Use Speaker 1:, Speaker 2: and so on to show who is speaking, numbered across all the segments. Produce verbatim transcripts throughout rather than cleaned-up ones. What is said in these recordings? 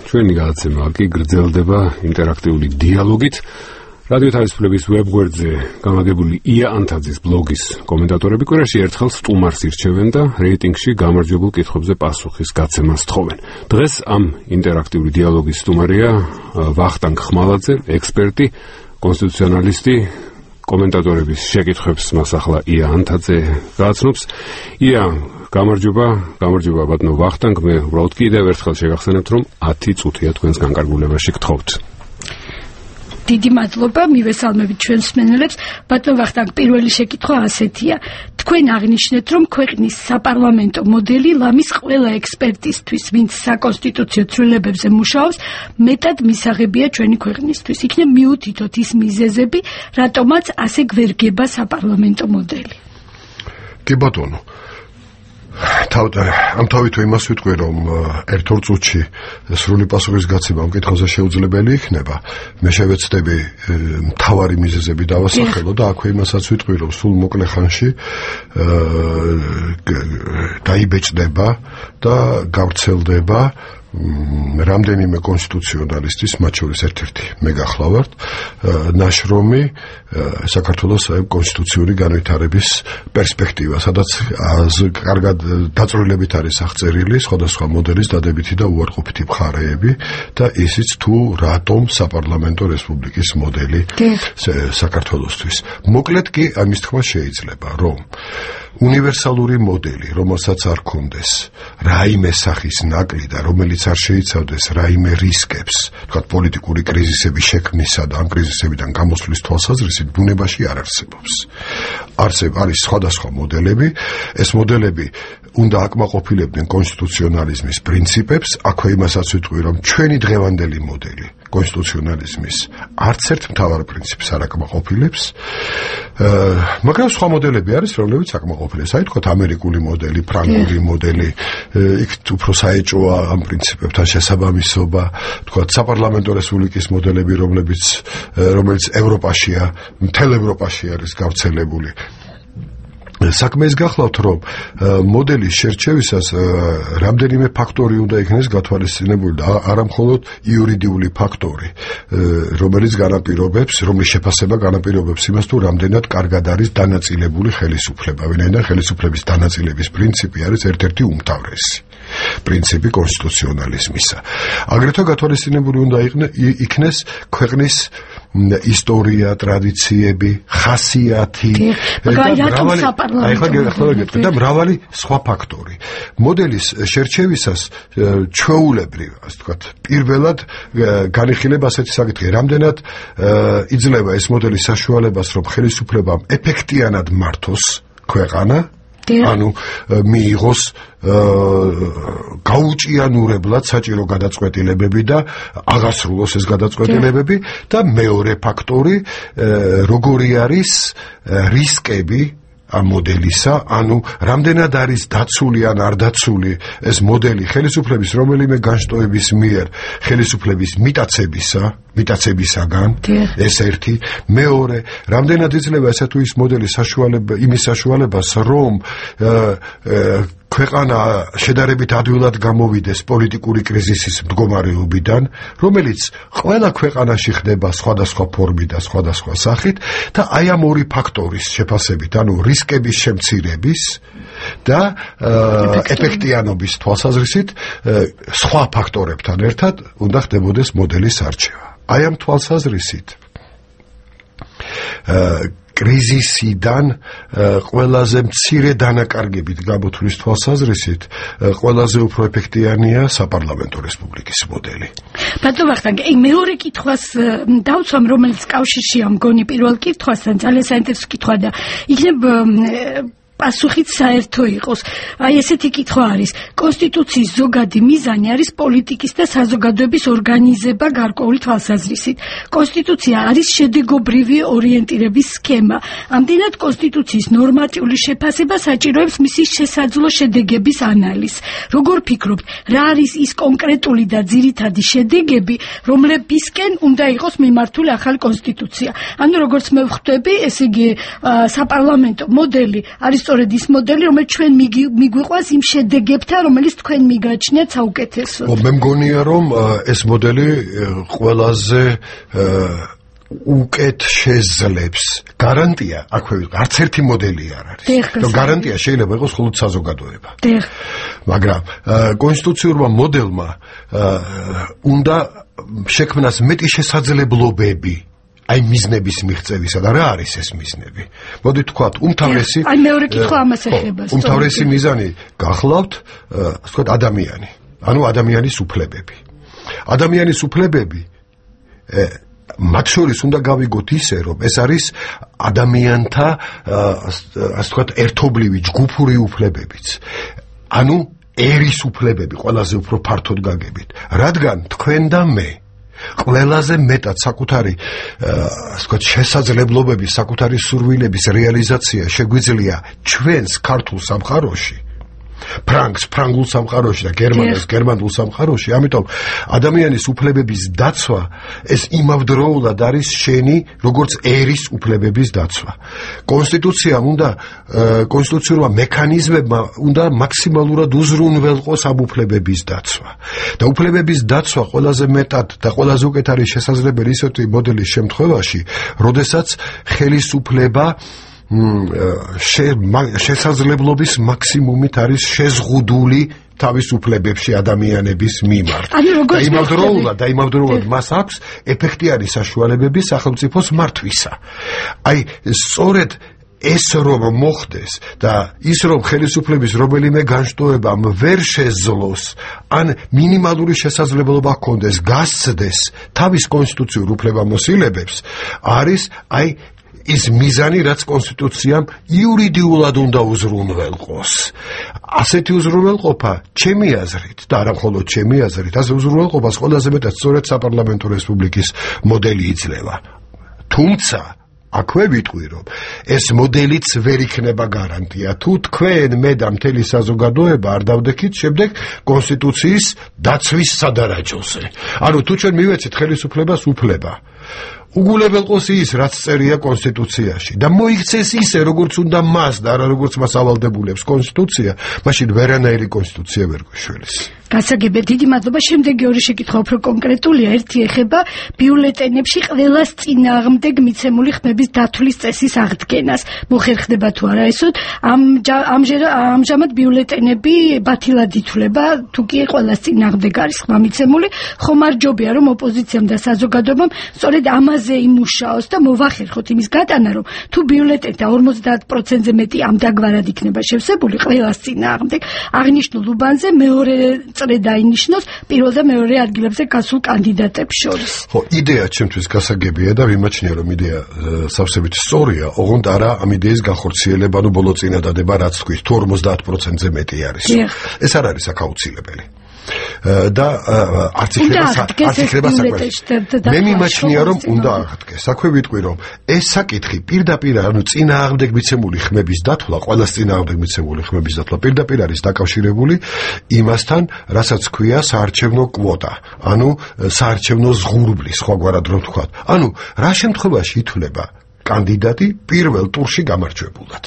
Speaker 1: ჩვენი გადაცემა კი გრძელდება ინტერაქტიული დიალოგით. რადიო თავისუფლების ვებგვერდზე გამაგებული ია ანთაძის ბლოგის კომენტატორები კვირაში ერთხელ სტუმარს ირჩევენ და რეიტინგში გამარჯვებულ კითხვებზე პასუხის გაცემას თხოვენ. დღეს ამ ინტერაქტიული დიალოგის სტუმარია ვახტანგ ხმალაძე, ექსპერტი, კონსტიტუციონალისტი. კომენტატორების შეკითხვებს მას ახლა ია ანთაძე გააცნობს. ია, გამარჯობა, გამარჯობა ბატონო ვახტანგ, მე უბრალოდ კიდევ ერთხელ შეგახსენებთ, რომ ათი წუთია თქვენს განკარგულებაში გთხოვთ.
Speaker 2: დიდი მადლობა, მივესალმებით ჩვენს მსმენელებს. ბატონო ვახტანგ, პირველი შეკითხვა ასეთია. თქვენ აღნიშნეთ, რომ ქვეყნის საპარლამენტო მოდელი ლამის ყველა ექსპერტისთვის, ვინც საკონსტიტუციო ცვლილებებზე მუშაობს, მეტად მისაღებია ჩვენი ქვეყნისთვის. იქნებ მიუთითოთ ის მიზეზები, რატომაც ასე გვერგება საპარლამენტო მოდელი.
Speaker 3: კი ბატონო. ამ თავით იმას ვიტყვი, რომ ერთ-ორ წუთში სრული პასუხის გაცემა ამ კითხვაზე შეუძლებელი იქნება. მე შევეცდები მთავარი მიზეზები დავასახელო და აქვე იმასაც ვიტყვი, რომ სულ მოკლე ხანში დაიბეჭდება და გავრცელდება რამდენიმე კონსტიტუციონალისტის, მათ შორის ერთ-ერთი მე გახლავართ, ნაშრომი საქართველოს კონსტიტუციური განვითარების პერსპექტივა, სადაც კარგად დაწვრილებით არის აღწერილი სხვადასხვა მოდელის დადებითი და უარყოფითი მხარეები და ისიც თუ რატომ საპარლამენტო რესპუბლიკის მოდელი საქართველოსთვის. მოკლედ კი ამის თქმა შეიძლება, რომ უნივერსალური მოდელი, რომელსაც არ ქონდეს რაიმე სახის ნაკლი და რომელიც არ შეიცავდეს რაიმე რისკებს, თქვათ პოლიტიკური კრიზისების შექმნისა და ამ კრიზისებიდან გამოსვლის თვალსაზრისით ბუნებაში არ არსებობს. არსებ არის სხვადასხვა მოდელები, ეს მოდელები უნდა აკმაყოფილებდნენ კონსტიტუციონალიზმის პრინციპებს, აქვე იმასაც ვიტყვი, რომ ჩვენი დღევანდელი მოდელი კონსტიტუციონალიზმის არც ერთ მთავარ პრინციპს არ აკმაყოფილებს, მაგრამ სხვა მოდელები არის, რომლებიც აკმაყოფილებს. აი თქვათ ამერიკული მოდელი, ფრანგული მოდელი, იქ უფრო საეჭვოა ამ პრინციპებთან შესაბამისობა, თქვათ საპარლამენტო რესპუბლიკის მოდელები, რომლებიც რომელიც ევროპაშია, მთელ ევროპაში არის გავრცელებული. საქმე ის გახლავთ, რომ მოდელის შერჩევისას რამდენიმე ფაქტორი უნდა იქნეს გათვალისწინებული და არა მხოლოდ იურიდიული ფაქტორი, რომელიც განაპირობებს, რომლის შეფასება განაპირობებს იმას, თუ რამდენად კარგად არის დანაწილებული ხელისუფლება. ვინაიდან ხელისუფლების დანაწილების პრინციპი არის ერთ-ერთი უმთავრესი პრინციპი კონსტიტუციონალიზმისა. აგრეთვე გათვალისწინებული უნდა იქნეს ქვეყნის ისტორია, ტრადიციები, ხასიათი და მრავალი სხვა ფაქტორი. მოდელის შერჩევისას ჩვეულებრივ, ასე ვთქვათ, პირველად განიხილება ასეთი საკითხი, რამდენად იძლევა ეს მოდელი საშუალებას, რომ ხელისუფლებამ ეფექტიანად მართოს ქვეყანა, ანუ მიიღოს გაუჭიანურებლად საჭირო გადაწყვეტილებები და აღასრულოს ეს გადაწყვეტილებები და მეორე ფაქტორი, როგორი არის რისკები ამ მოდელისა, ანუ რამდენად არის დაცული ან არ დაცული ეს მოდელი ხელისუფლების რომელიმე განშტოების მიერ ხელისუფლების მიტაცებისა, მიტაცებისაგან, ეს ერთი, მეორე, რამდენად იძლევა ესა თუ ის მოდელი საშუალება, იმის საშუალებას, რომ ქვეყანა შედარებით ადვილად გამოვიდეს პოლიტიკური კრიზისის მდგომარეობიდან, რომელიც ყველა ქვეყანაში ხდება სხვადასხვა ფორმით და სხვადასხვა სახით და აი ამ ორი ფაქტორის შეფასებით, ანუ რისკების შემცირების და ეფექტიანობის თვალსაზრისით სხვა ფაქტორებთან ერთად უნდა ხდებოდეს მოდელის არჩევა. აი ამ თვალსაზრისით კრიზისიდან ყველაზე მცირე დანაკარგებით გამოთვლის თვალსაზრისით ყველაზე უფრო ეფექტიანია საპარლამენტო რესპუბლიკის მოდელი.
Speaker 2: ბატონო ვახტანგ, მეორე კითხვას დავცვამ, რომელიც კავშირშია მგონი პირველ კითხვასთან, ძალიან საინტერესო კითხვა და იქნებ პასუხით საერთო იყოს. აი ესეთი კითხვა არის. კონსტიტუციის ზოგადი მიზანი არის პოლიტიკის და საზოგადოების ორგანიზება გარკვეული თვალსაზრისით. კონსტიტუცია არის შედეგობრივი ორიენტირების სქემა. ამდენად კონსტიტუციის ნორმატიული შეფასება საჭიროებს მისი შესაძლო შედეგების ანალიზს. როგორ ფიქრობთ, რა არის ის კონკრეტული და ძირითადი შედეგები, რომლებისკენ უნდა იყოს მიმართული ახალი კონსტიტუცია? ანუ როგორც მე ვხვდები, ესე იგი საპარლამენტო მოდელი არის სწორედ ის მოდელი, რომელიც ჩვენ მიგვიყვანს იმ შედეგებთან, რომელიც თქვენ მიგაჩნიათ საუკეთესოდ.
Speaker 3: მე მგონია, რომ ეს მოდელი ყველაზე უკეთ შეძლებს. გარანტია აქვე არც ერთი მოდელი არ არის. რომ გარანტია შეიძლება იყოს მხოლოდ საზოგადოება. მაგრამ კონსტიტუციურმა მოდელმა უნდა შექმნას მეტი შესაძლებლობები აი მიზნების მიღწევისა და რა არის ეს მიზნები? მოდით ვთქვათ, უმთავრესი
Speaker 2: აი მეორე კითხვა ამას ეხება.
Speaker 3: უმთავრესი მიზანი გახლავთ, ასე ვთქვათ, ადამიანი. ანუ ადამიანის უფლებები. ადამიანის უფლებები მათ შორის უნდა გავიგოთ ისე, რომ ეს არის ადამიანთა ასე ვთქვათ, ერთობლივი ჯგუფური უფლებებიც. ანუ ერის უფლებები ყველაზე უფრო ფართოდ გაგებით. რადგან თქვენ და მე ყველაზე მეტად საკუთარი ასე ვთქვათ, შესაძლებლობების, საკუთარი სურვილების რეალიზაცია შეგვიძლია ჩვენს ქართულ სამყაროში, ფრანგს ფრანგულ სამყაროში და გერმანელს გერმანულ სამყაროში. ამიტომ ადამიანის უფლებების დაცვა ეს იმავდროულად არის შენი როგორც ერის უფლებების დაცვა. კონსტიტუციამ უნდა კონსტიტუციურმა მექანიზმებმა უნდა მაქსიმალურად უზრუნველყოს ამ უფლებების დაცვა. და უფლებების დაცვა ყველაზე მეტად და ყველაზე უკეთ არის შესაძლებელი ისეთი მოდელის შემთხვევაში, როდესაც ხელისუფლება შესაძლებლობის მაქსიმუმით არის შეზღუდული თავის უფლებებში ადამიანების მიმართ. და იმავდროულად და იმავდროულად მას აქვს ეფექტიანი საშუალებები სახელმწიფოს მართვისა. აი სწორედ ეს რომ მოხდეს და ის რომ ხელისუფლების რომელიმე განშტოებამ ვერ შეძლოს ან მინიმალური შესაძლებლობა ჰქონდეს გასცდეს თავის კონსტიტუციურ უფლებამოსილებებს არის აი ის მიზანი, რაც კონსტიტუციამ იურიდიულად უნდა უზრუნველყოს. ასეთი უზრუნველყოფა, ჩემი აზრით, და არა მხოლოდ ჩემი აზრით, ასე უზრუნველყოფას ყველაზე მეტად სწორედ საპარლამენტო რესპუბლიკის მოდელი იძლევა. თუმცა აქვე ვიტყვი, რომ ეს მოდელიც ვერ იქნება გარანტია. თუ თქვენ, მე და მთელი საზოგადოება არ დავდექით შემდეგ კონსტიტუციის დაცვის სადარაჯოზე. ანუ თუ ჩვენ მივეცეთ ხელისუფლებას უფლება უგულებელყოს ის, რაც წერია კონსტიტუციაში და მოიქცეს ისე, როგორც უნდა მას და არა როგორც მას ავალდებულებს კონსტიტუცია, მაშინ ვერანაირი კონსტიტუცია ვერ გვეშველის.
Speaker 2: გასაგებია, დიდი მადლობა. შემდეგი ორი შეკითხვა უფრო კონკრეტულია. ერთი ეხება ბიულეტენებში ყველას წინააღმდეგ მიცემული ხმების დათვლის წესის აღდგენას. მოხერხდება თუ არა ესოთ? ამჟამად ბიულეტენები ბათილად ითვლება, თუ კი ყველას წინააღმდეგ არის ხმა მიცემული, ხომარჯობია, რომ ოპოზიციამ და საზოგადოებამ სწორედ ამაზე იმუშაოს და მოვახერხოთ იმის გატანა, რომ თუ ბიულეტენთა ორმოცდაათ პროცენტზე მეტი ამდაგვარად იქნება შევსებული ყველას წინააღმდეგ, აღნიშნულ უბანზე მეორე წრე დაინიშნოს პირველ და მეორე ადგილებზე გასულ კანდიდატებს შორის.
Speaker 3: ხო, იდეა ჩემთვის გასაგებია და ვიმაჩნია, რომ იდეა სავსებით სწორია, ოღონდ არა ამ იდეის განხორციელება, ნუ ბოლო წინადადება, რაც თქვით, თუ ორმოცდაათ პროცენტზე მეტი არის. ეს არ არის აქაუცილებელი. და არც იქნება საკვეთი. მე მიმაჩნია, რომ უნდა აღდგეს. აქვე ვიტყვი, რომ ეს საკითხი პირდაპირ, ანუ წინააღმდეგ მიცემული ხმების დათვლა, ყველას წინააღმდეგ მიცემული ხმების დათვლა პირდაპირ არის დაკავშირებული იმასთან, რასაც ქვია საარჩევნო კვოტა, ანუ საარჩევნო ზღურბლი, სხვაგვარად რომ ვთქვათ. ანუ რა შემთხვევაში ითვლება კანდიდატი პირველ ტურში გამარჯვებულად.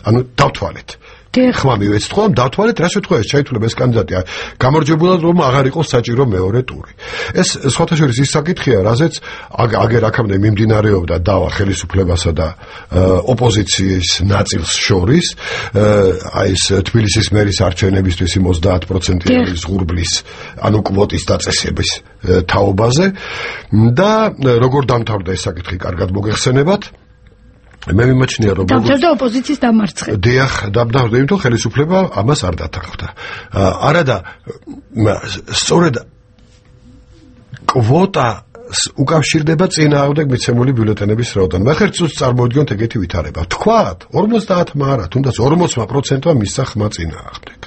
Speaker 3: ანუ დავთვალეთ. ხმა მივეცეთ ხოლმე დავთვალეთ რა შემთხვევაში ჩაითვლება ეს კანდიდატი გამარჯვებულად, რომ აღარ იყოს საჭირო მეორე ტური. ეს სხვათა შორის ის საკითხია, რაზეც აგერ აქამდე მიმდინარეობდა დავა ხელისუფლებასა და ოპოზიციის ნაწილს შორის, აი ეს თბილისის მერის არჩევნებისთვის იმ ოცდაათ პროცენტიანი ზღურბლის, ანუ კვოტის დაწესების თაობაზე და როგორ დამთავრდა ეს საკითხი, კარგად მოგეხსენებათ. მე მიმაჩნია, რომ
Speaker 2: დამთავრდა ოპოზიციის დამარცხება.
Speaker 3: დიახ, დამთავრდა, იმიტომ ხელისუფლება ამას არ დათანხმდა. არადა სწორედ კვოტა უკავშირდება წინააღმდეგ მიცემული ბიულეტენების რაოდენობას. მე ხერხს წარმოვიდგინოთ ეგეთი ვითარება. თქვათ, ორმოცდაათმა არა, თუნდაც ორმოცმა პროცენტმა მისცა ხმა წინააღმდეგ.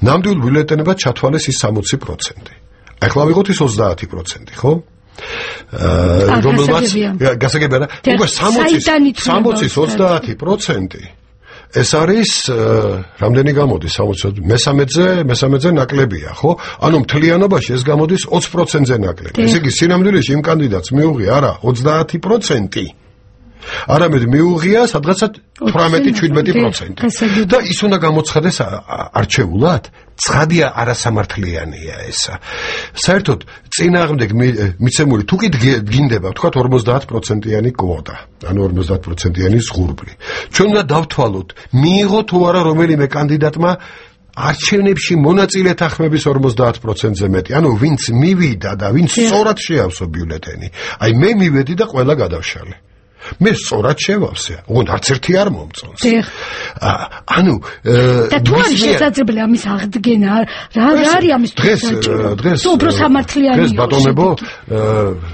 Speaker 3: ნამდვილ ბიულეტენებად ჩათვალეს ის სამოცი პროცენტი. ახლა ვიღოთ ის ოცდაათი პროცენტი, ხო? რომელმაც გასაგებია რა, უკვე სამოცის ოცდაათი პროცენტი ეს არის რამდენი გამოდის სამოცი მესამედზე მესამედზე ნაკლებია, ხო? ანუ მთლიანობაში ეს გამოდის ოცი პროცენტზე ნაკლები. ესე იგი სინამდვილეში იმ კანდიდატს მიუღია არა ოცდაათი პროცენტი, არამედ მიუღია სადღაცა თვრამეტი შვიდმეტი პროცენტი. და ის უნდა გამოცხადეს არჩეულად, ცხადია არასამართლიანია ესა. საერთოდ წინააღმდეგ მიცემული თუ კი გინდება, ვთქვათ ორმოცდაათ პროცენტიანი კვოტა, ანუ ორმოცდაათ პროცენტიანი ზღურბლი. ჩვენ უნდა დავთვალოთ, მიიღო თუ არა რომელიმე კანდიდატმა არჩევნებში მონაწილეთა ხმების ორმოცდაათ პროცენტზე მეტი. ანუ ვინც მივიდა და ვინც სწორად შეავსო ბიულეტენი. აი მე მივედი და ყველა გადავშალე. მე სწორად შევავსე, ოღონდ არც ერთი არ მომწონს. ანუ
Speaker 2: და თუ არის შესაძლებელი ამის აღდგენა, რა რა არის ამის
Speaker 3: დღეს დღეს
Speaker 2: უფრო სამართლიანი
Speaker 3: დღეს ბატონებო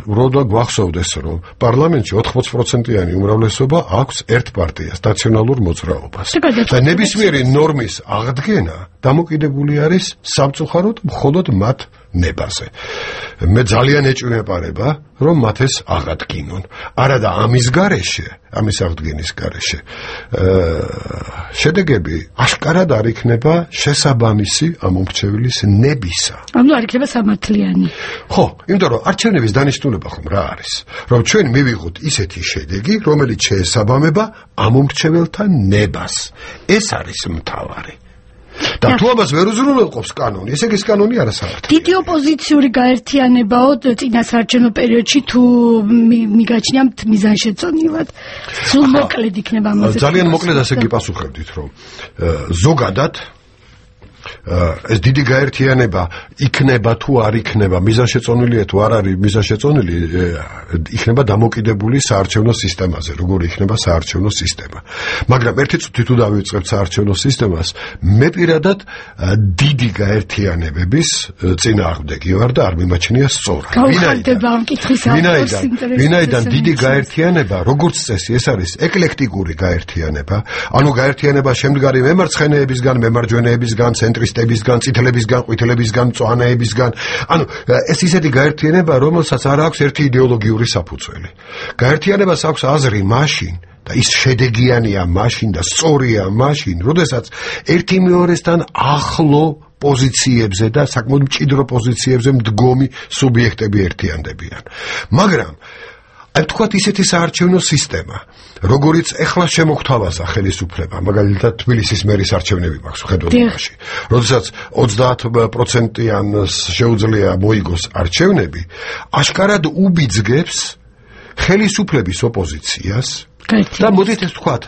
Speaker 3: როდა გვახსოვდეს რომ პარლამენტში ოთხმოცდაათ პროცენტიანი უმრავლესობა აქვს ერთ პარტიას, ნაციონალურ მოძრაობას. და ნებისმიერი ნორმის აღდგენა დამოკიდებული არის სამწუხაროდ მხოლოდ მათ ნებაზე. მე ძალიან ეჭვმეპარება რომ მათ ეს აღადგინონ. არადა ამის გარეშე, ამის აღდგენის გარეშე შედეგები აშკარად არ იქნება შესაბამისი ამ მომრჩევლის ნებისა.
Speaker 2: ანუ არ იქნება სამართლიანი.
Speaker 3: ხო, იმიტომ რომ არჩევნების დანიშნულება ხომ რა არის? რომ ჩვენ მივიღოთ ისეთი შედეგი, რომელიც შეესაბამება ამ მომრჩეველთა ნებას. ეს არის მთავარი. და თუ ამას ვერ უზრუნველყოფს კანონი, ესე იგი ეს კანონი არასამართლია.
Speaker 2: დიდი ოპოზიციური გაერთიანებაო წინასაარჩევნო პერიოდში თუ მიგაჩნიათ მიზანშეწონილად. სულ მოკლედ იქნება ამაზე.
Speaker 3: ძალიან მოკლედ ასე გიპასუხებდით, რომ ზოგადად ეს დიდი გაერთიანება იქნება თუ არ იქნება, მიზანშეწონილია თუ არ არის მიზანშეწონილი, იქნება დამოკიდებული საარჩევნო სისტემაზე, როგორი იქნება საარჩევნო სისტემა. მაგრამ ერთი წუთი თუ დავიწყებთ საარჩევნო სისტემას, მე პირადად დიდი გაერთიანებების წინააღმდეგი ვარ და არ მიმაჩნია სწორად. ვინაიდან ვინაიდან დიდი გაერთიანება, როგორც წესი, ეს არის ეკლექტიკური გაერთიანება, ანუ გაერთიანება შემდგარი მემარცხენეებისგან, მემარჯვენეებისგან, ცენტრისტებისგან, წითლებისგან, ყვითლებისგან, მწვანეებისგან. ანუ ეს ისეთი გაერთიანება, რომელსაც არ აქვს ერთი იდეოლოგიური საფუძველი. გაერთიანებას აქვს აზრი მაშინ და ის შედეგიანია მაშინ და სწორია მაშინ, როდესაც ერთი მეორესთან ახლო პოზიციებზე და საკმაოდ მჭიდრო პოზიციებზე მდგომი სუბიექტები ერთიანდებიან. მაგრამ აი თქვათ ისეთი საარჩევნო სისტემა, როგორიც ეხლა შემოგთავაზა ხელისუფლება, მაგალითად თბილისის მერის არჩევნები მაქვს ხედველობაში. როდესაც ოცდაათ პროცენტიანს შეუძლია მოიგოს არჩევნები, აშკარად უბიძგებს ხელისუფლების ოპოზიციას. და მოდით ეს თქვათ,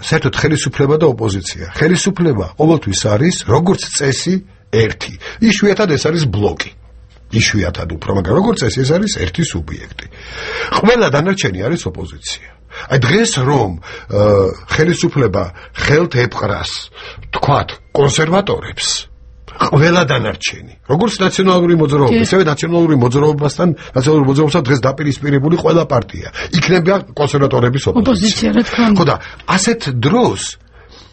Speaker 3: საერთოდ ხელისუფლება და ოპოზიცია. ხელისუფლება ყოველთვის არის როგორც წესი ერთი. იშვიათად ეს არის ბლოკი. იშვიათად უფრო, მაგრამ როგორც წესი ეს არის ერთი სუბიექტი. ყველა დანარჩენი არის ოპოზიცია. აი დღეს რომ ხელისუფლება ხელთ ეპყრას, თქვათ, კონსერვატორებს, ყველა დანარჩენი, როგორც ნაციონალური მოძრაობა, ისევე ნაციონალური მოძრაობასთან, ნაციონალური მოძრაობასთან დღეს დაპირისპირებული ყველა პარტია. იქნება კონსერვატორების ოპოზიცია. ხო და ასეთ დროს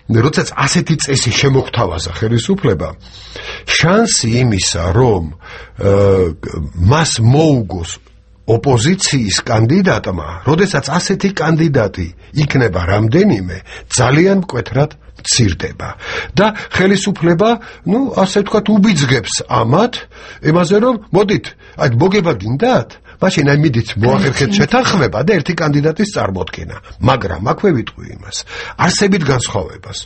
Speaker 3: როდესაც ასეთი წესი შემოგთავაზა ხელისუფლება, შანსი იმისა, რომ მას მოუგოს ოპოზიციის კანდიდატმა, როდესაც ასეთი კანდიდატი იქნება რამდენიმე, ძალიან მკვეთრად მცირდება. და ხელისუფლება, ну, ასე ვთქვათ, უბიძგებს ამათ, იმაზე რომ მოდით, აი მოგება გინდათ? მაშინ აი მიდით მოახერხეთ შეთანხმება და ერთი კანდიდატის წარმოდგენა. მაგრამ აქვე ვიტყვი იმას, არსებით განსხვავებას.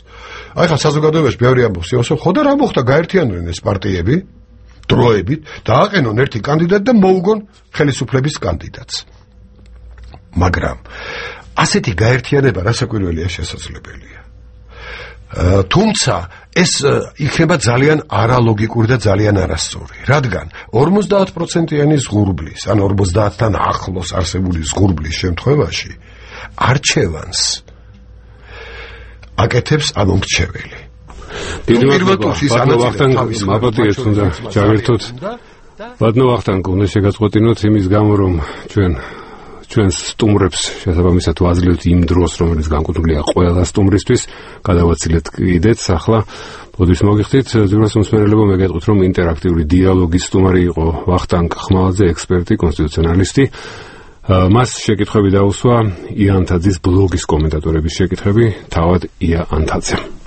Speaker 3: აი ხა საზოგადოებაში ბევრი ამბობს, იოსო, ხო და რა მოხდა, გაერთიანდნენ ეს პარტიები დროებით და აყენონ ერთი კანდიდატი და მოუგონ ხელისუფლების კანდიდატს. მაგრამ ასეთი გაერთიანება რასაკვირველია შესაძლებელია. თუმცა ეს იქნება ძალიან არალოგიკური და ძალიან არასწორი, რადგან ორმოცდაათ პროცენტიანი ზღურბლის, ან ორმოცდაათთან ახლოს არსებული ზღურბლის შემთხვევაში არჩევანს აკეთებს ამომრჩეველი.
Speaker 1: დიდი მადლობა ვახტანგ, მაბატიებს უნდა ჩავერთოთ. ბატონო ვახტანგ, უნდა შეგაწყვეტინოთ იმის გამო, რომ ჩვენ ჩვენს სტუმრებს შესაბამისად ვაძლევთ იმ დროს, რომელიც განკუთვნილია ყველა სტუმრისთვის, გადავაცილეთ კიდეც ახლა. ბოდიშ მოგიხდით, ძვირას მსმენელებო, მე გეტყვით, რომ ინტერაქტიული დიალოგის სტუმარი იყო ვახტანგ ხმალაძე, ექსპერტი, კონსტიტუციონალისტი. მას შეკითხვები დაუსვა ია ანთაძის ბლოგის კომენტატორების შეკითხვები, თავად ია ანთაძემ.